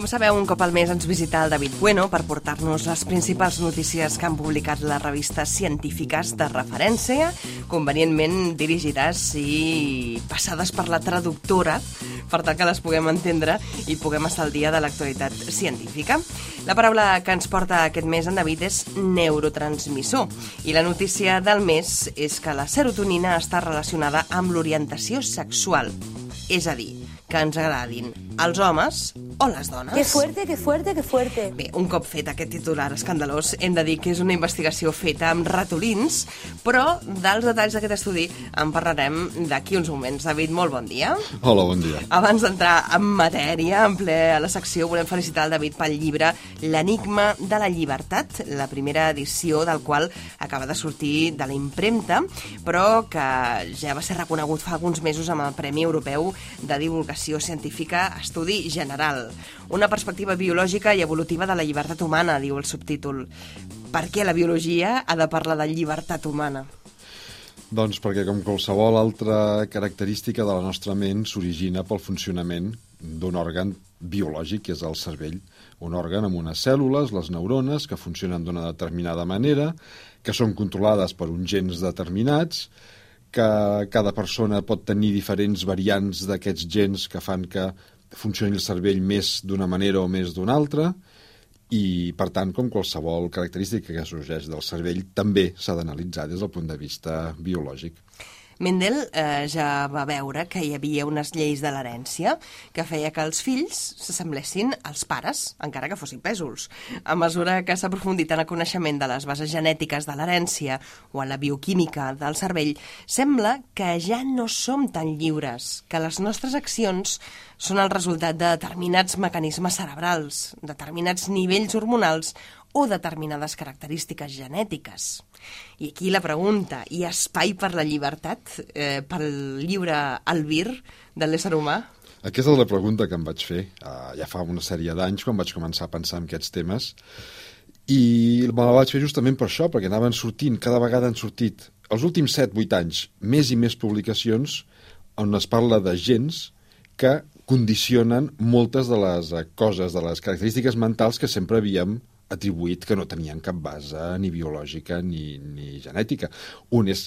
sabeu, un cop al mes ens visita el David Bueno per portar-nos les principals notícies que han publicat les revistes científiques de referència, convenientment dirigides i passades per la traductora, per tal que les puguem entendre i puguem estar al dia de l'actualitat científica. La paraula que ens porta aquest mes en David és neurotransmissor, i la notícia del mes és que la serotonina està relacionada amb l'orientació sexual, és a dir, que ens agradin els homes o les dones. Que fuerte, que fuerte, que fuerte. Bé, un cop fet aquest titular escandalós, hem de dir que és una investigació feta amb ratolins, però dels detalls d'aquest estudi en parlarem d'aquí uns moments. David, molt bon dia. Hola, bon dia. Abans d'entrar en matèria, en ple a la secció, volem felicitar el David pel llibre L'enigma de la llibertat, la primera edició del qual acaba de sortir de la impremta, però que ja va ser reconegut fa alguns mesos amb el Premi Europeu de Divulgació Científica Estudi General. Una perspectiva biològica i evolutiva de la llibertat humana, diu el subtítol. Per què la biologia ha de parlar de llibertat humana? Doncs perquè, com qualsevol altra característica de la nostra ment, s'origina pel funcionament d'un òrgan biològic, que és el cervell. Un òrgan amb unes cèl·lules, les neurones, que funcionen d'una determinada manera, que són controlades per uns gens determinats, que cada persona pot tenir diferents variants d'aquests gens que fan que funcioni el cervell més d'una manera o més d'una altra, i, per tant, com qualsevol característica que sorgeix del cervell, també s'ha d'analitzar des del punt de vista biològic. Mendel ja va veure que hi havia unes lleis de l'herència que feia que els fills s'assemblessin als pares, encara que fossin pèsols. A mesura que s'ha aprofundit en el coneixement de les bases genètiques de l'herència o en la bioquímica del cervell, sembla que ja no som tan lliures, que les nostres accions són el resultat de determinats mecanismes cerebrals, determinats nivells hormonals o determinades característiques genètiques. I aquí la pregunta, hi ha espai per la llibertat, pel lliure albir de l'ésser humà? Aquesta és la pregunta que em vaig fer ja fa una sèrie d'anys, quan vaig començar a pensar en aquests temes, i me la vaig fer justament per això, perquè anaven sortint, cada vegada han sortit, els últims 7-8 anys, més i més publicacions on es parla de gens que condicionen moltes de les coses, de les característiques mentals que sempre havíem atribuït que no tenien cap base ni biològica ni genètica. Un és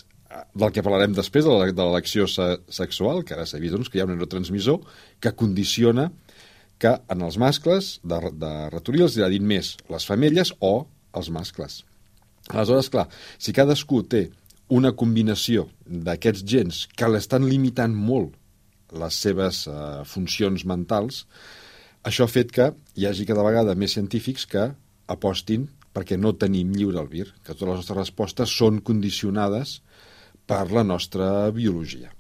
del que parlarem després, de l'elecció sexual, que ara s'ha vist que hi ha un neurotransmissor que condiciona que en els mascles de ratolí els agradin més les femelles o els mascles. Aleshores, clar, si cadascú té una combinació d'aquests gens que l'estan limitant molt les seves funcions mentals, això ha fet que hi hagi cada vegada més científics que apostin perquè no tenim lliure albir, que totes les nostres respostes són condicionades per la nostra biologia.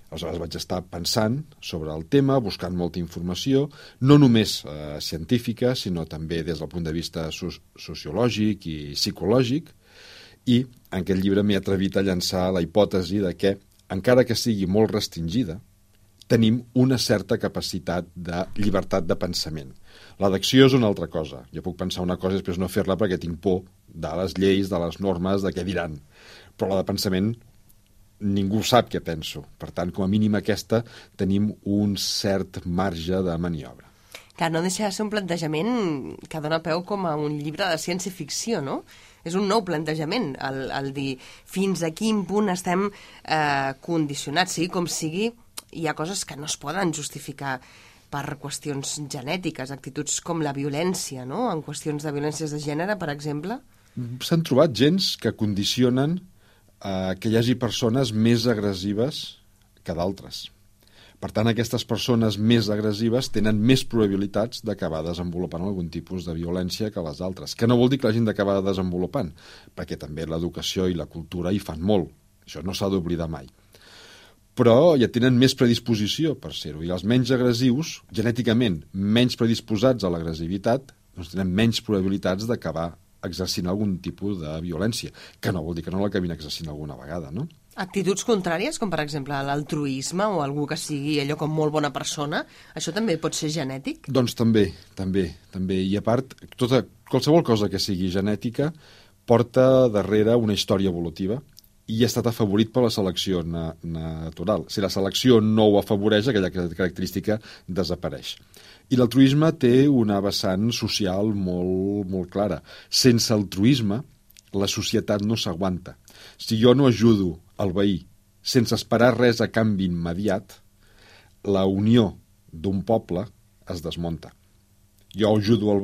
Aleshores vaig estar pensant sobre el tema, buscant molta informació, no només científica, sinó també des del punt de vista sociològic i psicològic, i en aquest llibre m'he atrevit a llançar la hipòtesi de que, encara que sigui molt restringida, tenim una certa capacitat de llibertat de pensament. La d'acció és una altra cosa. Jo puc pensar una cosa i després no fer-la perquè tinc por de les lleis, de les normes, de què diran. Però la de pensament ningú sap què penso. Per tant, com a mínim aquesta, tenim un cert marge de maniobra. Que no deixa de ser un plantejament que dona peu com a un llibre de ciència-ficció, no? És un nou plantejament, el dir fins a quin punt estem condicionats, sigui com sigui, hi ha coses que no es poden justificar per qüestions genètiques, actituds com la violència, no? En qüestions de violències de gènere, per exemple. S'han trobat gens que condicionen que hi hagi persones més agressives que d'altres. Per tant, aquestes persones més agressives tenen més probabilitats d'acabar desenvolupant algun tipus de violència que les altres, que no vol dir que l'hagin d'acabar desenvolupant, perquè també l'educació i la cultura hi fan molt. Això no s'ha d'oblidar mai. Però ja tenen més predisposició per ser-ho. I els menys agressius, genèticament menys predisposats a l'agressivitat, doncs tenen menys probabilitats d'acabar exercint algun tipus de violència, que no vol dir que no l'acabin exercint alguna vegada, no? Actituds contràries, com per exemple l'altruisme o algú que sigui allò com molt bona persona, això també pot ser genètic? Doncs també. I a part, qualsevol cosa que sigui genètica porta darrere una història evolutiva i ha estat afavorit per la selecció natural. Si la selecció no ho afavoreix, aquella característica desapareix. I l'altruisme té una vessant social molt, molt clara. Sense altruisme, la societat no s'aguanta. Si jo no ajudo el veí sense esperar res a canvi immediat, la unió d'un poble es desmunta. Jo ajudo el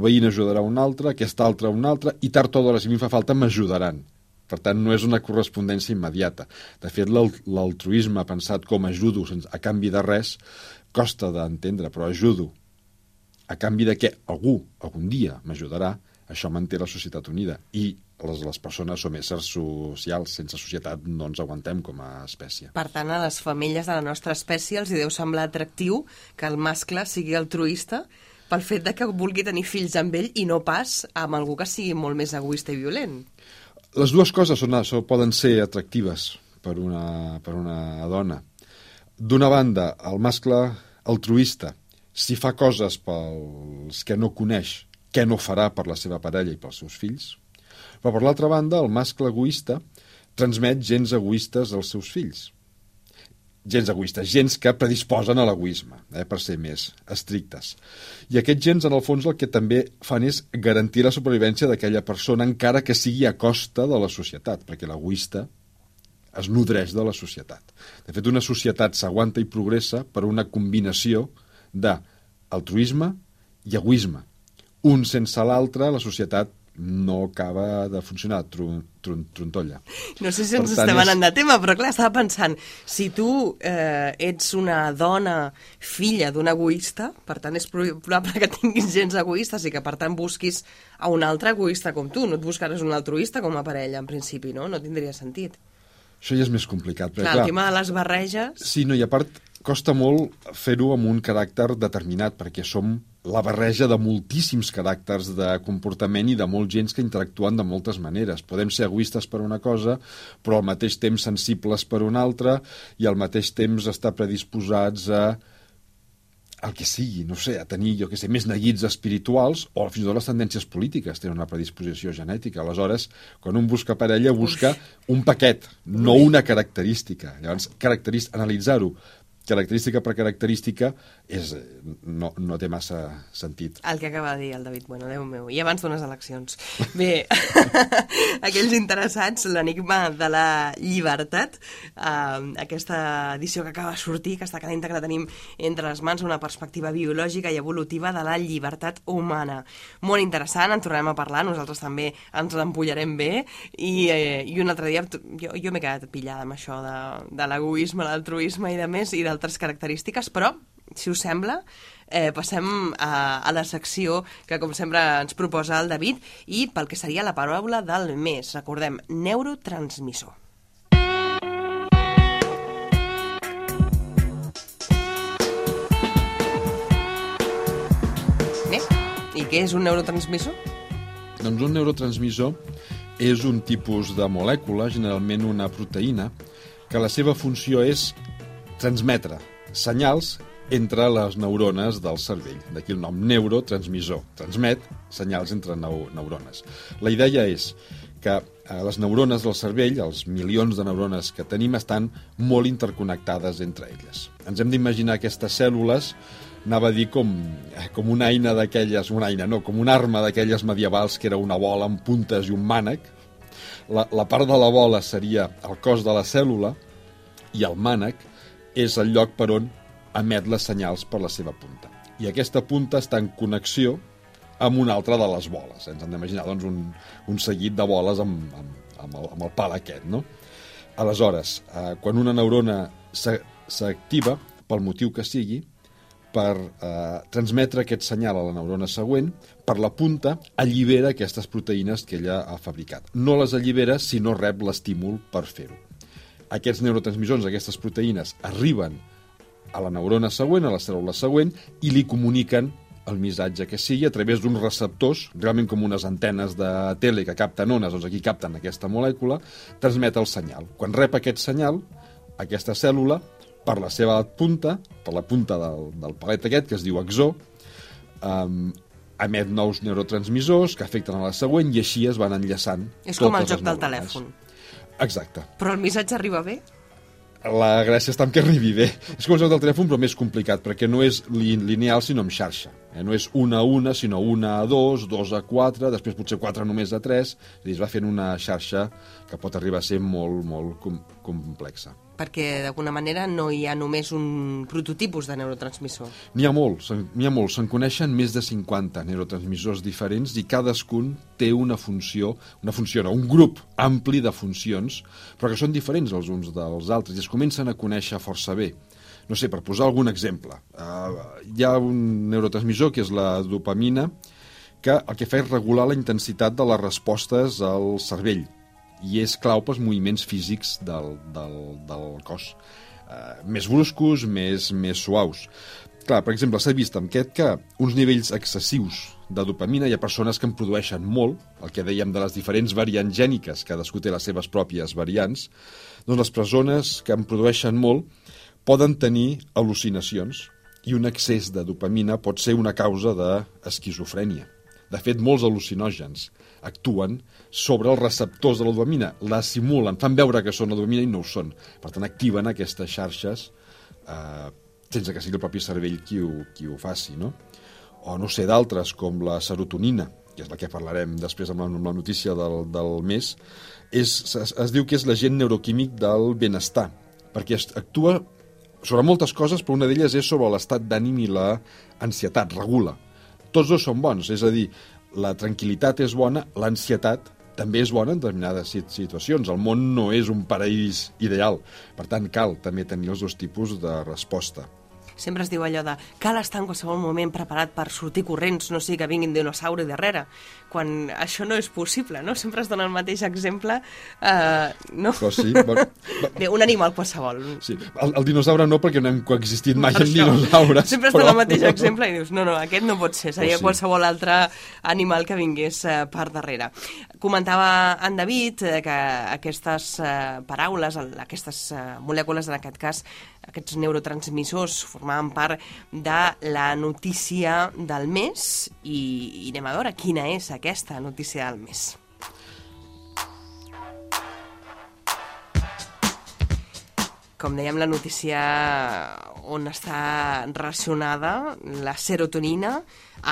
veí n'ajudarà un altre, aquest altre un altre, i tard o d'hora, si a mi fa falta, m'ajudaran. Per tant, no és una correspondència immediata. De fet, l'altruisme pensat com ajudo a canvi de res costa d'entendre, però ajudo a canvi de que algú algun dia m'ajudarà, això manté la societat unida. I les persones som éssers socials, sense societat no ens aguantem com a espècie. Per tant, a les femelles de la nostra espècie els hi deu semblar atractiu que el mascle sigui altruista pel fet de que vulgui tenir fills amb ell i no pas amb algú que sigui molt més egoista i violent. Les dues coses poden ser atractives per una dona. D'una banda, el mascle altruista, si fa coses pels que no coneix, què no farà per la seva parella i pels seus fills? Però, per l'altra banda, el mascle egoista transmet gens egoistes als seus fills. Gens egoistes, gens que predisposen a l'egoisme, per ser més estrictes. I aquests gens, en el fons, el que també fan és garantir la supervivència d'aquella persona, encara que sigui a costa de la societat, perquè l'egoista es nodreix de la societat. De fet, una societat s'aguanta i progressa per una combinació d'altruisme i egoisme. Un sense l'altre, la societat no acaba de funcionar, trontolla. No sé si ens estem anant de tema, però clar, estava pensant, si tu ets una dona filla d'un egoista, per tant és probable que tinguis gens egoistes i que per tant busquis a un altre egoista com tu, no et buscaràs un altruista com a parella, en principi, no? No tindria sentit. Això ja és més complicat. Clar, el tema de les barreges... Sí, no, i a part costa molt fer-ho amb un caràcter determinat, perquè som la barreja de moltíssims caràcters de comportament i de molts gens que interactuen de moltes maneres. Podem ser egoistes per una cosa, però al mateix temps sensibles per una altra, i al mateix temps estar predisposats a el que sigui, no sé, a tenir, jo que sé, més neguits espirituals, o fins i tot les tendències polítiques tenen una predisposició genètica. Aleshores, quan un busca parella, busca un paquet, no una característica. Llavors, analitzar-ho característica per característica no té massa sentit. El que acaba de dir el David, bueno, Déu meu, i abans d'unes eleccions. Bé, aquells interessats, l'enigma de la llibertat, aquesta edició que acaba de sortir, que està calenta, que la tenim entre les mans, una perspectiva biològica i evolutiva de la llibertat humana. Molt interessant, en tornarem a parlar, nosaltres també ens l'empullarem bé, i un altre dia jo m'he quedat pillada amb això de l'egoisme, l'altruisme i de més, i d'altres característiques, però si us sembla, passem a la secció que, com sempre, ens proposa el David, i pel que seria la paraula del mes. Recordem, neurotransmissor. Bé, i què és un neurotransmissor? Doncs un neurotransmissor és un tipus de molècula, generalment una proteïna, que la seva funció és transmetre senyals entre les neurones del cervell. D'aquí el nom, neurotransmissor. Transmet senyals entre neurones. La idea és que les neurones del cervell, els milions de neurones que tenim, estan molt interconnectades entre elles. Ens hem d'imaginar aquestes cèl·lules, anava a dir com una eina d'aquelles, com una arma d'aquelles medievals que era una bola amb puntes i un mànec. La part de la bola seria el cos de la cèl·lula i el mànec és el lloc per on emet les senyals per la seva punta. I aquesta punta està en connexió amb una altra de les boles. Ens hem d'imaginar doncs, un seguit de boles amb el pal aquest, no? Aleshores, quan una neurona s'activa, pel motiu que sigui, per transmetre aquest senyal a la neurona següent, per la punta allibera aquestes proteïnes que ella ha fabricat. No les allibera si no rep l'estímul per fer-ho. Aquests neurotransmissors, aquestes proteïnes, arriben a la neurona següent, a la cèl·lula següent, i li comuniquen el missatge que sigui a través d'uns receptors, realment com unes antenes de tele que capten ones, doncs aquí capten aquesta molècula, transmet el senyal. Quan rep aquest senyal, aquesta cèl·lula, per la seva punta, per la punta del palet aquest, que es diu axó, emet nous neurotransmissors que afecten a la següent i així es van enllaçant. És com el joc del telèfon. Exacte. Però el missatge arriba bé? La gràcia està en que arribi bé. És com el joc del telèfon, però més complicat, perquè no és lineal, sinó en xarxa. No és 1 a 1, sinó 1 a 2, 2 a 4, després potser 4 només a 3. És a dir, es va fent una xarxa que pot arribar a ser molt, molt complexa. Perquè, d'alguna manera, no hi ha només un prototipus de neurotransmissor. N'hi ha molts. Se'n coneixen més de 50 neurotransmissors diferents i cadascun té un grup ampli de funcions, però que són diferents els uns dels altres i es comencen a conèixer força bé. No sé, per posar algun exemple, hi ha un neurotransmissor que és la dopamina, que el que fa és regular la intensitat de les respostes al cervell i és clau pels moviments físics del cos, més bruscos, més suaus. Clar, per exemple, s'ha vist amb aquest que uns nivells excessius de dopamina, hi ha persones que en produeixen molt, el que dèiem de les diferents variants gèniques, cadascú té les seves pròpies variants, doncs les persones que en produeixen molt poden tenir al·lucinacions i un excés de dopamina pot ser una causa d'esquizofrènia. De fet, molts al·lucinògens actuen sobre els receptors de la dopamina, la simulen, fan veure que són la dopamina i no ho són. Per tant, activen aquestes xarxes sense que sigui el propi cervell qui ho faci, no? O no sé, d'altres, com la serotonina, que és la que parlarem després amb la notícia del mes, es diu que és l'agent neuroquímic del benestar, perquè actua sobre moltes coses, però una d'elles és sobre l'estat d'ànim i la ansietat, regula. Tots dos són bons, és a dir, la tranquil·litat és bona, l'ansietat també és bona en determinades situacions. El món no és un paraís ideal, per tant cal també tenir els dos tipus de resposta. Sempre es diu allò de cal estar en qualsevol moment preparat per sortir corrents, no sigui que vinguin dinosauri darrere, quan això no és possible, no? Sempre es dona el mateix exemple, no? Però sí, Bé, un animal qualsevol. Sí, el dinosaure no, perquè no hem coexistit mai amb dinosaures. Sempre es dona el mateix exemple i dius, no, aquest no pot ser, seria qualsevol altre animal que vingués per darrere. Comentava en David que aquestes paraules, aquestes molècules, en aquest cas, aquests neurotransmissors formaven part de la notícia del mes i anem a veure quina és aquesta notícia del mes. Com dèiem, la notícia on està relacionada la serotonina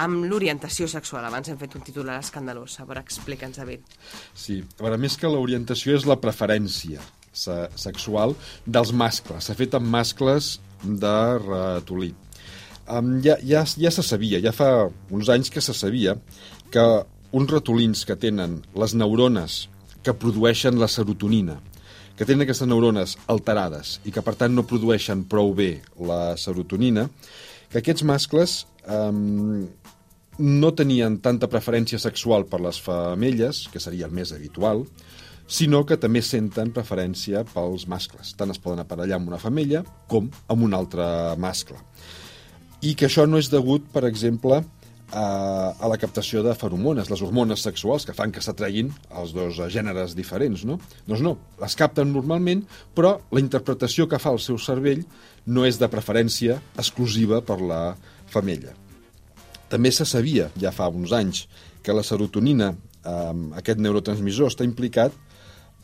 amb l'orientació sexual. Abans hem fet un titular escandalós. A veure, explica'ns, David. Sí, a veure, més que l'orientació és la preferència sexual dels mascles. S'ha fet amb mascles de ratolí. Ja se sabia, ja fa uns anys que se sabia que uns ratolins que tenen les neurones que produeixen la serotonina, que tenen aquestes neurones alterades i que per tant no produeixen prou bé la serotonina, que aquests mascles no tenien tanta preferència sexual per les femelles, que seria el més habitual, sinó que també senten preferència pels mascles. Tant es poden aparellar amb una femella com amb un altre mascle. I que això no és degut, per exemple, a la captació de feromones, les hormones sexuals que fan que s'atreguin els dos gèneres diferents, no? Doncs no, les capten normalment, però la interpretació que fa el seu cervell no és de preferència exclusiva per la femella. També se sabia, ja fa uns anys, que la serotonina, aquest neurotransmissor, està implicat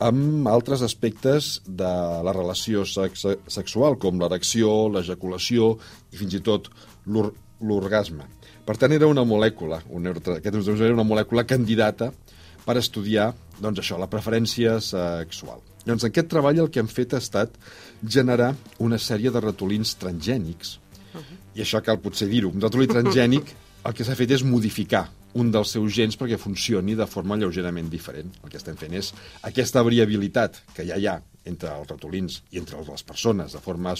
amb altres aspectes de la relació sexual, com l'erecció, l'ejaculació i fins i tot l'orgasme. Per tant, era una molècula, aquest neurotransmissor era una molècula candidata per estudiar, doncs això, la preferència sexual. Llavors, en aquest treball el que han fet ha estat generar una sèrie de ratolins transgènics, i això cal potser dir-ho, un ratolí transgènic el que s'ha fet és modificar un dels seus gens perquè funcioni de forma lleugerament diferent. El que estem fent és aquesta variabilitat que ja hi ha entre els ratolins i entre les persones de forma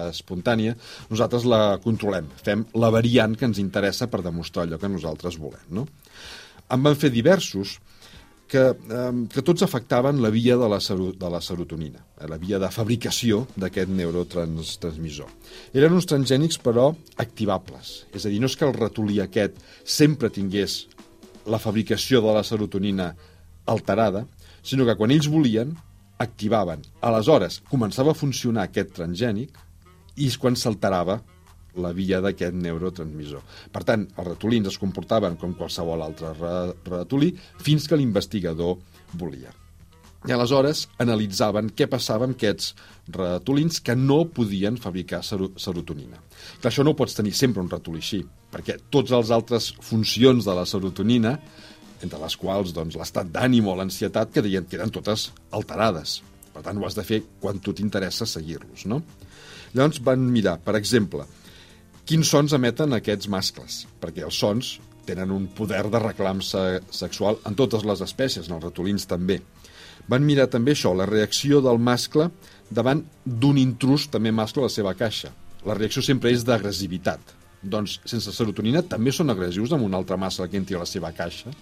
espontània, nosaltres la controlem, fem la variant que ens interessa per demostrar allò que nosaltres volem, no? En van fer diversos que tots afectaven la via de la serotonina, la via de fabricació d'aquest neurotransmissor. Eren uns transgènics, però, activables. És a dir, no és que el ratolí aquest sempre tingués la fabricació de la serotonina alterada, sinó que quan ells volien, activaven. Aleshores, començava a funcionar aquest transgènic i és quan s'alterava la via d'aquest neurotransmissor. Per tant, els ratolins es comportaven com qualsevol altre ratolí fins que l'investigador volia. I aleshores analitzaven què passava amb aquests ratolins que no podien fabricar serotonina. Clar, això no ho pots tenir sempre un ratolí així, perquè totes les altres funcions de la serotonina, entre les quals doncs, l'estat d'ànim o l'ansietat, queden totes alterades. Per tant, ho has de fer quan tu t'interessa seguir-los, no? Llavors van mirar, per exemple, quins sons emeten aquests mascles, perquè els sons tenen un poder de reclam sexual en totes les espècies, en els ratolins també. Van mirar també això, la reacció del mascle davant d'un intrus també mascle a la seva caixa. La reacció sempre és d'agressivitat. Doncs sense serotonina també són agressius amb un altre mascle que entri a la seva caixa.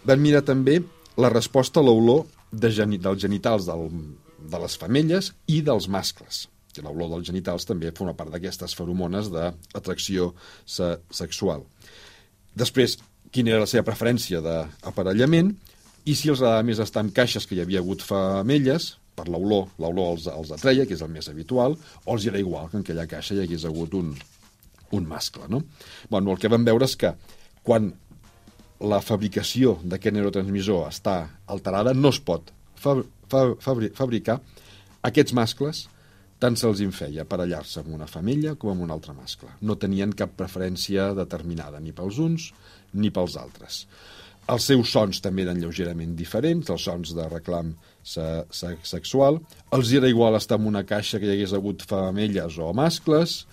Van mirar també la resposta a l'olor dels genitals de les femelles i dels mascles. L'olor dels genitals també forma part d'aquestes feromones d'atracció sexual. Després, quina era la seva preferència d'aparellament i si els agradava més estar en caixes que hi havia hagut femelles, per l'olor els atreia, que és el més habitual, o els era igual que en aquella caixa hi hagués hagut un mascle, no? Bueno, el que vam veure és que quan la fabricació d'aquest neurotransmissor està alterada, no es pot fabricar aquests mascles tant se'ls feia aparellar-se amb una femella com amb un altre mascle. No tenien cap preferència determinada, ni pels uns ni pels altres. Els seus sons també eren lleugerament diferents, els sons de reclam sexual. Els era igual estar en una caixa que hi hagués hagut femelles o mascles,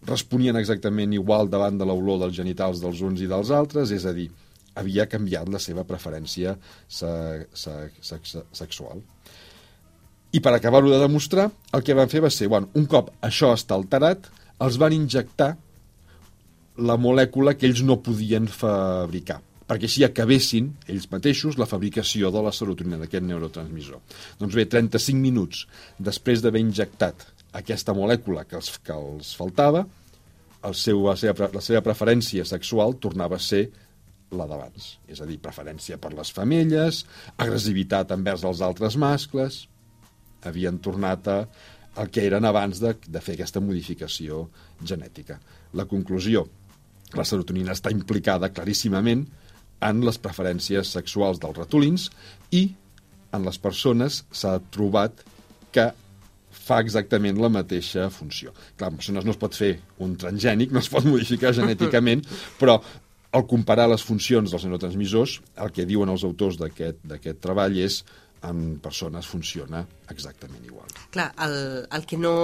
responien exactament igual davant de l'olor dels genitals dels uns i dels altres, és a dir, havia canviat la seva preferència sexual. I per acabar-ho de demostrar, el que van fer va ser, un cop això està alterat, els van injectar la molècula que ells no podien fabricar, perquè així acabessin ells mateixos la fabricació de la serotonina, d'aquest neurotransmissor. Doncs bé, 35 minuts després d'haver injectat aquesta molècula que els faltava, la seva preferència sexual tornava a ser la d'abans. És a dir, preferència per les femelles, agressivitat envers els altres mascles. Havien tornat al que eren abans de fer aquesta modificació genètica. La conclusió, la serotonina està implicada claríssimament en les preferències sexuals dels ratolins i en les persones s'ha trobat que fa exactament la mateixa funció. Clar, en persones no es pot fer un transgènic, no es pot modificar genèticament, però al comparar les funcions dels neurotransmissors, el que diuen els autors d'aquest treball és en persones funciona exactament igual. Clar, el que no...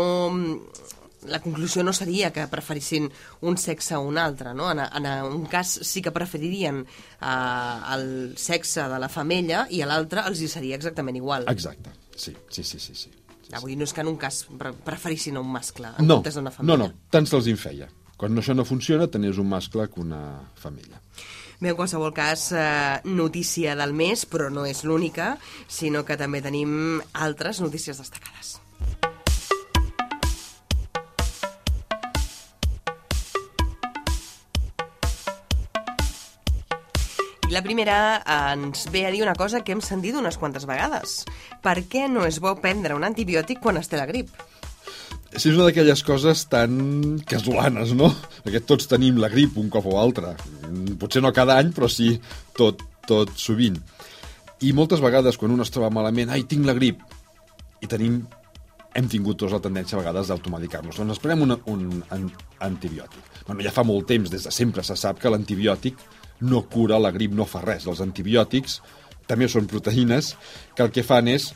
La conclusió no seria que preferissin un sexe o un altre, no? En un cas sí que preferirien el sexe de la femella i a l'altre els hi seria exactament igual. Exacte, sí. Avui no és que en un cas preferissin un mascle en comptes d'una femella. No, tant se'ls feia. Quan això no funciona, tenies un mascle que una femella. Bé, en qualsevol cas, notícia del mes, però no és l'única, sinó que també tenim altres notícies destacades. I la primera ens ve a dir una cosa que hem sentit unes quantes vegades. Per què no és bo prendre un antibiòtic quan es té la grip? És una d'aquelles coses tan casolanes, no? Perquè tots tenim la grip un cop o altre. Potser no cada any, però sí tot sovint. I moltes vegades, quan un es troba malament, tinc la grip, i hem tingut tots la tendència a vegades d'automedicar-nos. Doncs ens prenem un antibiòtic. Ja fa molt temps, des de sempre, se sap que l'antibiòtic no cura la grip, no fa res. Els antibiòtics també són proteïnes que el que fan és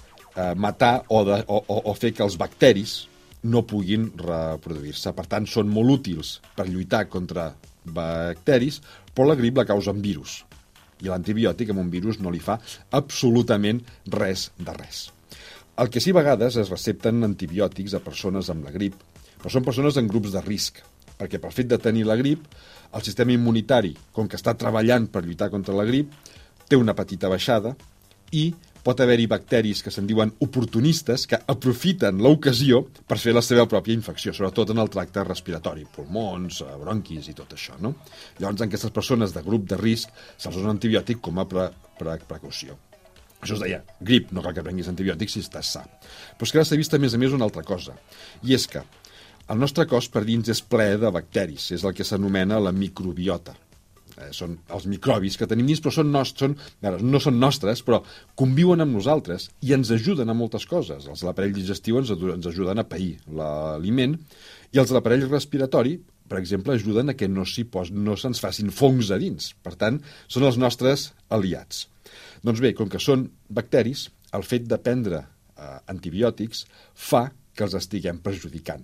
matar o fer que els bacteris no puguin reproduir-se. Per tant, són molt útils per lluitar contra bacteris, però la grip la causa un virus. I l'antibiòtic amb un virus no li fa absolutament res de res. El que sí a vegades es recepten antibiòtics a persones amb la grip, però són persones en grups de risc, perquè pel fet de tenir la grip, el sistema immunitari, com que està treballant per lluitar contra la grip, té una petita baixada i pot haver-hi bacteris que se'n diuen oportunistes que aprofiten l'ocasió per fer la seva pròpia infecció, sobretot en el tracte respiratori, pulmons, bronquis i tot això, no? Llavors, en aquestes persones de grup de risc se'ls dona un antibiòtic com a precaució. Això es deia grip, no cal que prenguis antibiòtics si estàs sa. Però és que ara s'ha vist a més una altra cosa, i és que el nostre cos per dins és ple de bacteris, és el que s'anomena la microbiota. són els microbis que tenim dins, però no són nostres, però conviuen amb nosaltres i ens ajuden a moltes coses. Els de l'aparell digestiu ens ajuden a pair l'aliment, i els de l'aparell respiratori, per exemple, ajuden a que no se'ns facin fongs a dins. Per tant, són els nostres aliats. Doncs bé, com que són bacteris, el fet de prendre antibiòtics fa que els estiguem perjudicant.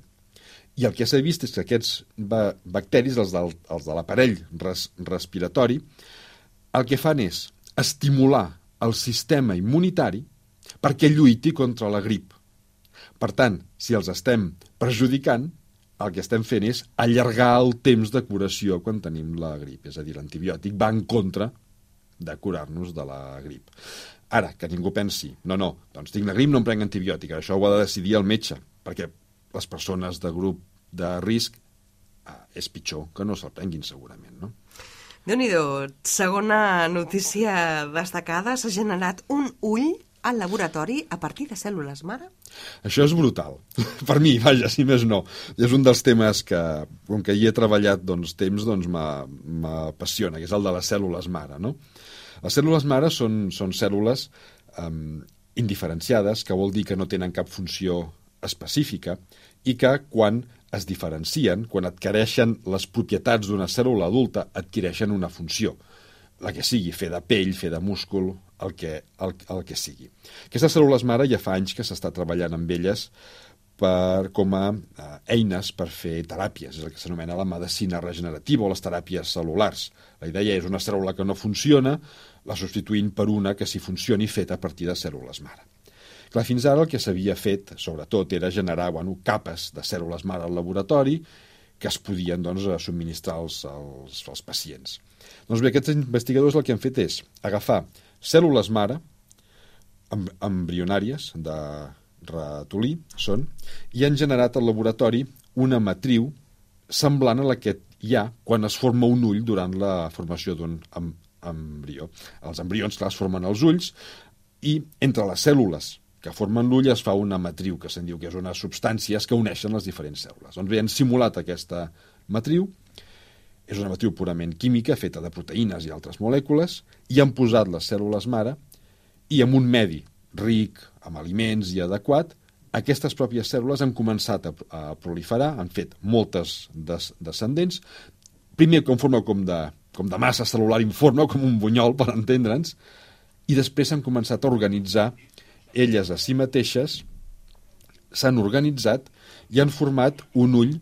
I el que s'ha vist és que aquests bacteris, els de l'aparell respiratori, el que fan és estimular el sistema immunitari perquè lluiti contra la grip. Per tant, si els estem perjudicant, el que estem fent és allargar el temps de curació quan tenim la grip. És a dir, l'antibiòtic va en contra de curar-nos de la grip. Ara, que ningú pensi, no, doncs tinc la grip, no em prenc antibiòtic. Això ho ha de decidir el metge, perquè les persones de grup de risc és pitjor que no se'l prenguin, segurament, no? Déu-n'hi-do, segona notícia destacada, s'ha generat un ull al laboratori a partir de cèl·lules mare? Això és brutal. Per mi, vaja, si més no. És un dels temes que, com que hi he treballat temps, m'apassiona, que és el de les cèl·lules mare, no? Les cèl·lules mare són cèl·lules indiferenciades, que vol dir que no tenen cap funció específica i que quan es diferencien, quan adquireixen les propietats d'una cèl·lula adulta, adquireixen una funció, la que sigui, fer de pell, fer de múscul, el que sigui. Aquestes cèl·lules mare ja fa anys que s'està treballant amb elles com a eines per fer teràpies, és el que s'anomena la medicina regenerativa o les teràpies cel·lulars. La idea és una cèl·lula que no funciona, la substituint per una que sí funcioni feta a partir de cèl·lules mare. Clar, fins ara el que s'havia fet, sobretot, era generar capes de cèl·lules mare al laboratori que es podien subministrar als pacients. Doncs bé, aquests investigadors el que han fet és agafar cèl·lules mare embrionàries de ratolí i han generat al laboratori una matriu semblant a la que hi ha quan es forma un ull durant la formació d'un embrió. Els embrions, clar, es formen els ulls i entre les cèl·lules que formen l'ull es fa una matriu, que se'n diu que és unes substàncies que uneixen les diferents cèl·lules. Doncs bé, han simulat aquesta matriu, és una matriu purament química, feta de proteïnes i altres molècules, i han posat les cèl·lules mare i en un medi ric, amb aliments i adequat, aquestes pròpies cèl·lules han començat a proliferar, han fet moltes descendents, primer en forma com de massa cel·lular informe, com un bunyol, per entendre'ns, i després s'han començat a organitzar elles a si mateixes, s'han organitzat i han format un ull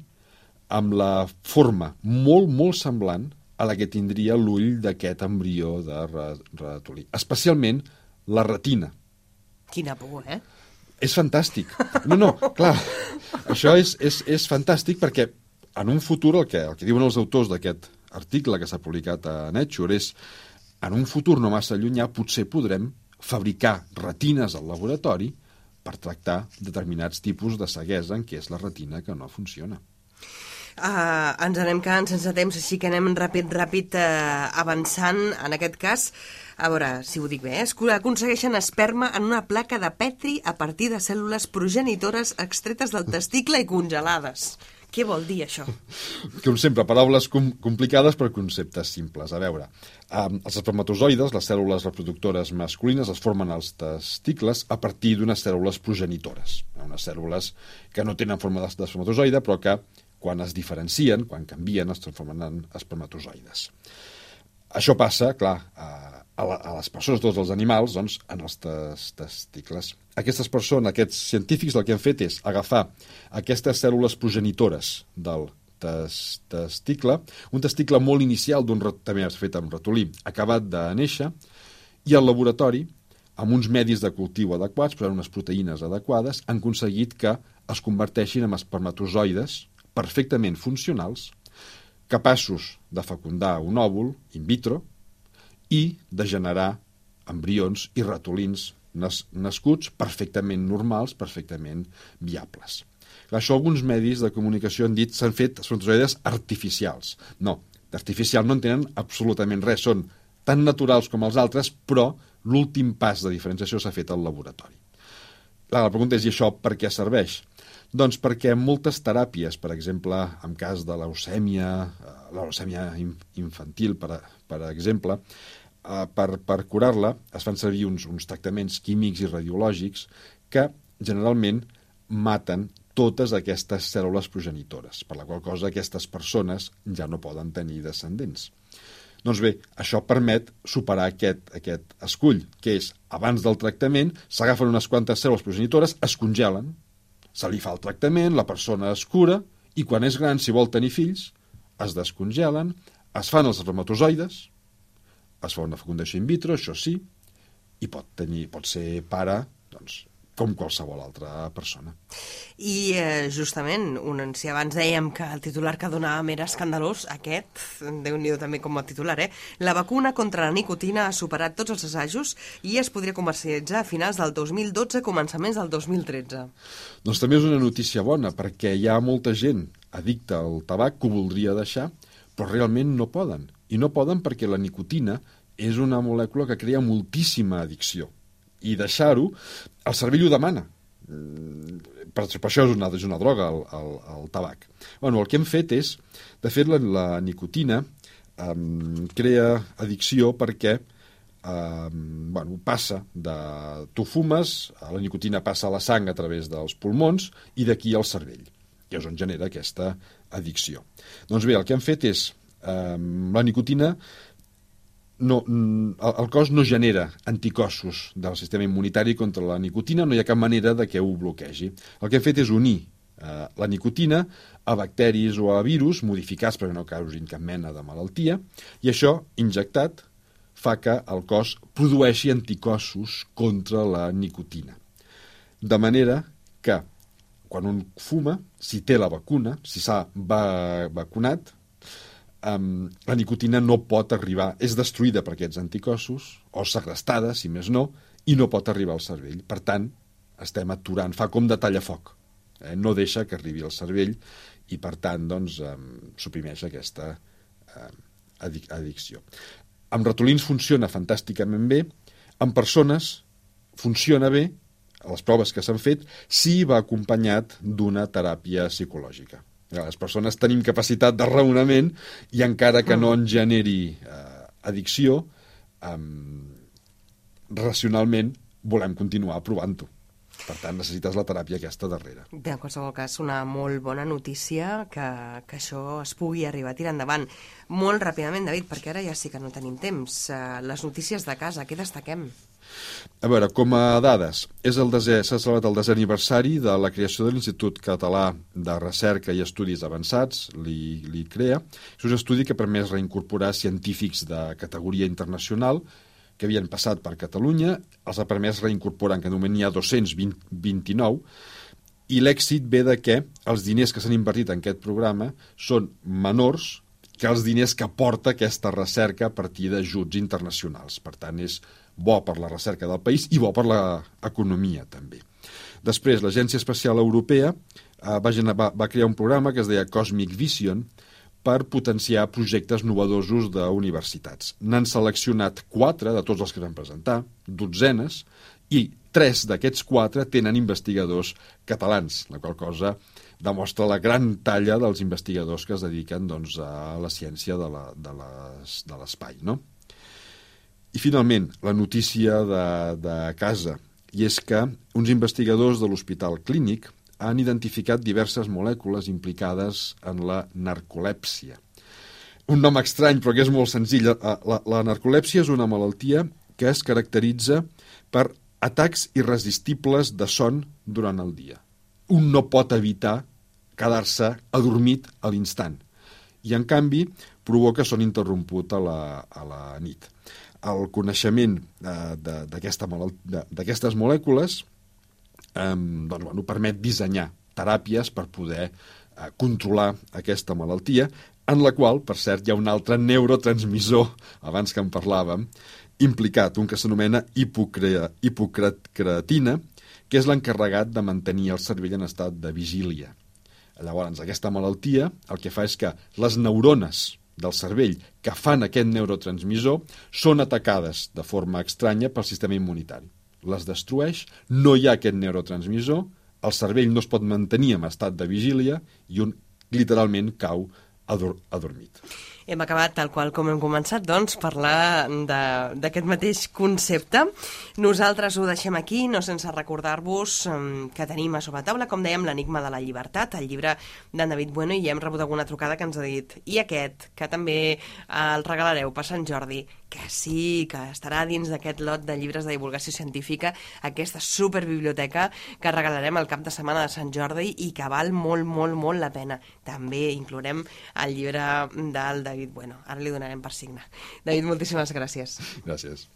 amb la forma molt, molt semblant a la que tindria l'ull d'aquest embrió de ratolí. Especialment la retina. Quina por, eh? És fantàstic. No, clar, això és fantàstic perquè en un futur el que diuen els autors d'aquest article que s'ha publicat a Nature és en un futur no massa llunyà potser podrem fabricar retines al laboratori per tractar determinats tipus de ceguesa en què és la retina que no funciona. Ens anem quedant sense temps, així que anem ràpid avançant. En aquest cas, a veure si ho dic bé, aconsegueixen esperma en una placa de Petri a partir de cèl·lules progenitores extretes del testicle i congelades. Què vol dir això? Com sempre, paraules complicades per conceptes simples. A veure, els espermatozoides, les cèl·lules reproductores masculines, es formen als testicles a partir d'unes cèl·lules progenitores. Unes cèl·lules que no tenen forma d'espermatozoide, però que quan es diferencien, quan canvien, es transformen en espermatozoides. Això passa, clar, a les persones, tots els animals, doncs, en els testicles. Aquestes persones, aquests científics, el que han fet és agafar aquestes cèl·lules progenitores del testicle, un testicle molt inicial, també fet amb ratolí, acabat de néixer, i al laboratori, amb uns medis de cultiu adequats, per unes proteïnes adequades, han aconseguit que es converteixin en espermatozoides perfectament funcionals, capaços de fecundar un òvul in vitro i de generar embrions i ratolins nascuts perfectament normals, perfectament viables. Això alguns medis de comunicació han dit s'han fet espermatozoides artificials. No, d'artificial no en tenen absolutament res, són tan naturals com els altres, però l'últim pas de diferenciació s'ha fet al laboratori. La pregunta és, i això per què serveix? Doncs perquè moltes teràpies, per exemple, en cas de la leucèmia infantil, per exemple, per curar-la es fan servir uns tractaments químics i radiològics que generalment maten totes aquestes cèl·lules progenitores, per la qual cosa aquestes persones ja no poden tenir descendents. Doncs bé, això permet superar aquest escull, que és, abans del tractament, s'agafen unes quantes cèl·lules progenitores, es congelen, se li fa el tractament, la persona es cura, i quan és gran, si vol tenir fills, es descongelen, es fan els espermatozoides, es fa una fecundació in vitro, això sí, i pot ser pare, doncs, com qualsevol altra persona. I justament, si abans dèiem que el titular que donàvem era escandalós, aquest, Déu-n'hi-do també com a titular, la vacuna contra la nicotina ha superat tots els assajos i es podria comercialitzar a finals del 2012, començaments del 2013. Doncs també és una notícia bona, perquè hi ha molta gent addicta al tabac que ho voldria deixar, però realment no poden. I no poden perquè la nicotina és una molècula que crea moltíssima addicció. I deixar-ho, el cervell ho demana. Per això és una droga, el tabac. Bueno, el que hem fet és, de fet, la nicotina crea addicció perquè passa tu fumes, la nicotina passa a la sang a través dels pulmons i d'aquí al cervell, que és on genera aquesta addicció. Doncs bé, el que hem fet és, la nicotina el cos no genera anticossos del sistema immunitari contra la nicotina, no hi ha cap manera de que ho bloquegi. El que hem fet és unir la nicotina a bacteris o a virus modificats perquè no causin cap mena de malaltia, i això, injectat, fa que el cos produeixi anticossos contra la nicotina. De manera que, quan un fuma, si té la vacuna, si s'ha vacunat, la nicotina no pot arribar, és destruïda per aquests anticossos, o segrestada, si més no, i no pot arribar al cervell. Per tant, estem aturant, fa com de tallafoc, no deixa que arribi al cervell i, per tant, doncs, suprimeix aquesta addicció. Amb ratolins funciona fantàsticament bé, amb persones funciona bé, a les proves que s'han fet, si va acompanyat d'una teràpia psicològica. Les persones tenim capacitat de raonament i encara que no ens generi addicció, racionalment volem continuar provant-ho. Per tant, necessites la teràpia aquesta darrere. Bé, en qualsevol cas, una molt bona notícia que això es pugui arribar a tirar endavant. Molt ràpidament, David, perquè ara ja sí que no tenim temps. Les notícies de casa, què destaquem? A veure, com a dades, s'ha celebrat el 10è aniversari de la creació de l'Institut Català de Recerca i Estudis Avançats, l'ICREA. És un estudi que ha permès reincorporar científics de categoria internacional que havien passat per Catalunya, els ha permès reincorporar, que de moment n'hi ha 229, i l'èxit ve de que els diners que s'han invertit en aquest programa són menors que els diners que aporta aquesta recerca a partir d'ajuts internacionals. Per tant, és bo per la recerca del país i bo per l'economia, també. Després, l'Agència Espacial Europea va crear un programa que es deia Cosmic Vision per potenciar projectes novedosos d'universitats. N'han seleccionat 4 de tots els que van presentar, dotzenes, i 3 d'aquests 4 tenen investigadors catalans, la qual cosa demostra la gran talla dels investigadors que es dediquen, doncs, a la ciència de l'espai, no? I finalment, la notícia de casa, i és que uns investigadors de l'Hospital Clínic han identificat diverses molècules implicades en la narcolèpsia. Un nom estrany, però que és molt senzill. La narcolèpsia és una malaltia que es caracteritza per atacs irresistibles de son durant el dia. Un no pot evitar quedar-se adormit a l'instant i, en canvi, provoca son interromput a la nit. El coneixement d'aquestes molècules permet dissenyar teràpies per poder controlar aquesta malaltia, en la qual, per cert, hi ha un altre neurotransmissor, abans que en parlàvem, implicat, un que s'anomena hipocreatina, que és l'encarregat de mantenir el cervell en estat de vigília. Llavors, aquesta malaltia el que fa és que les neurones del cervell que fan aquest neurotransmissor són atacades de forma estranya pel sistema immunitari. Les destrueix, no hi ha aquest neurotransmissor, el cervell no es pot mantenir en estat de vigília i un literalment cau adormit. Hem acabat, tal qual com hem començat, doncs, parlar d'aquest mateix concepte. Nosaltres ho deixem aquí, no sense recordar-vos que tenim a sobre taula, com dèiem, l'Enigma de la llibertat, el llibre d'en David Bueno, i ja hem rebut alguna trucada que ens ha dit i aquest, que també el regalareu per Sant Jordi, que sí, que estarà dins d'aquest lot de llibres de divulgació científica, aquesta superbiblioteca que regalarem el cap de setmana de Sant Jordi i que val molt, molt, molt la pena. També inclourem el llibre del David Bueno. Ara li donarem per signe. David, moltíssimes gràcies. Gràcies.